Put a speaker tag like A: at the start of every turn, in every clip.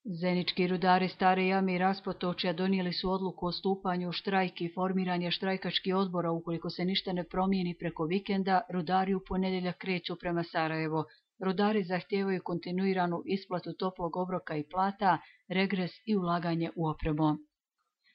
A: Zenički rudari Stare Jame i Raspotočja donijeli su odluku o stupanju u štrajk i formiranje štrajkačkih odbora. Ukoliko se ništa ne promijeni preko vikenda, rudari u ponedjeljak kreću prema Sarajevo. Rudari zahtijevaju kontinuiranu isplatu toplog obroka i plata, regres i ulaganje u opremu.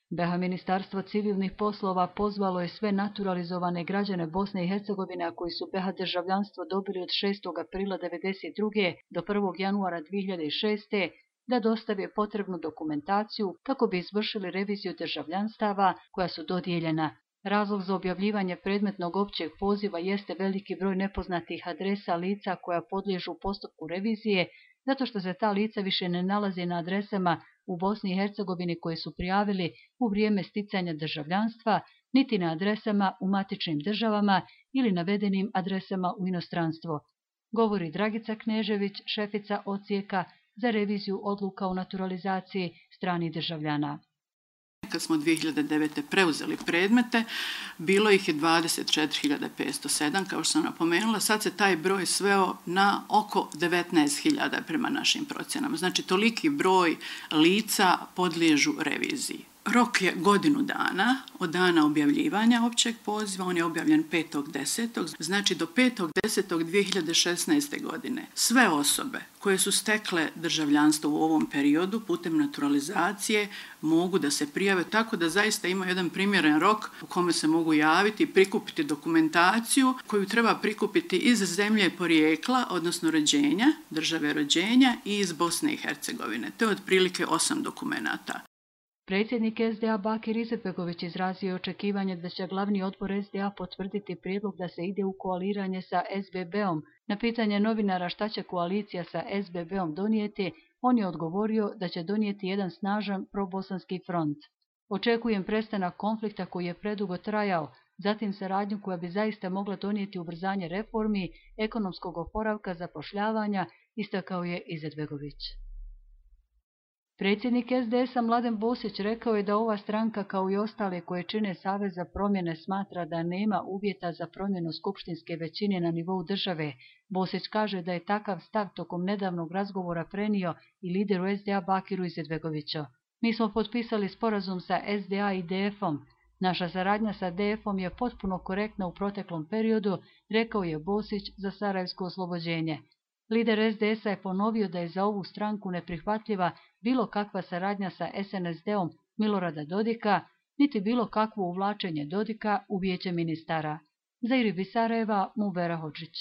A: BiH Ministarstvo civilnih poslova pozvalo je sve naturalizovane građane Bosne i Hercegovine, a koji su BiH državljanstvo dobili od 6. aprila 1992. do 1. januara 2006. da dostave potrebnu dokumentaciju kako bi izvršili reviziju državljanstava koja su dodijeljena. Razlog za objavljivanje predmetnog općeg poziva jeste veliki broj nepoznatih adresa lica koja podliježu postupku revizije, zato što se ta lica više ne nalaze na adresama u Bosni i Hercegovini koje su prijavili u vrijeme sticanja državljanstva, niti na adresama u matičnim državama ili navedenim adresama u inostranstvo, govori Dragica Knežević, šefica odsjeka za reviziju odluka o naturalizaciji stranih državljana.
B: Kad smo 2009. preuzeli predmete, bilo ih je 24.507, kao što sam napomenula. Sad se taj broj sveo na oko 19.000 prema našim procjenama. Znači, toliki broj lica podliježu reviziji. Rok je godinu dana od dana objavljivanja općeg poziva, on je objavljen 5.10. Znači do 5.10.2016. godine sve osobe koje su stekle državljanstvo u ovom periodu putem naturalizacije mogu da se prijave, tako da zaista ima jedan primjeren rok u kome se mogu javiti i prikupiti dokumentaciju koju treba prikupiti iz zemlje porijekla, odnosno rođenja, države rođenja i iz Bosne i Hercegovine. To je otprilike 8 dokumenata.
A: Predsjednik SDA Bakir Izetbegović izrazio je očekivanje da će glavni odbor SDA potvrditi prijedlog da se ide u koaliranje sa SBB-om. Na pitanje novinara šta će koalicija sa SBB-om donijeti, on je odgovorio da će donijeti jedan snažan probosanski front. Očekujem prestanak konflikta koji je predugo trajao, zatim saradnju koja bi zaista mogla donijeti ubrzanje reformi, ekonomskog oporavka, zapošljavanja, istakao je Izetbegović. Predsjednik SDS-a Mladen Bosić rekao je da ova stranka, kao i ostale koje čine Savez za promjene, smatra da nema uvjeta za promjenu skupštinske većine na nivou države. Bosić kaže da je takav stav tokom nedavnog razgovora prenio i lideru SDA Bakiru Izetbegoviću. Mi smo potpisali sporazum sa SDA i DF-om. Naša saradnja sa DF-om je potpuno korektna u proteklom periodu, rekao je Bosić za Sarajevsko oslobođenje. Lider SDS-a je ponovio da je za ovu stranku neprihvatljiva bilo kakva saradnja sa SNSD-om Milorada Dodika, niti bilo kakvo uvlačenje Dodika u vijeće ministara. Za IRIB iz Sarajeva, Mubera Hodžić.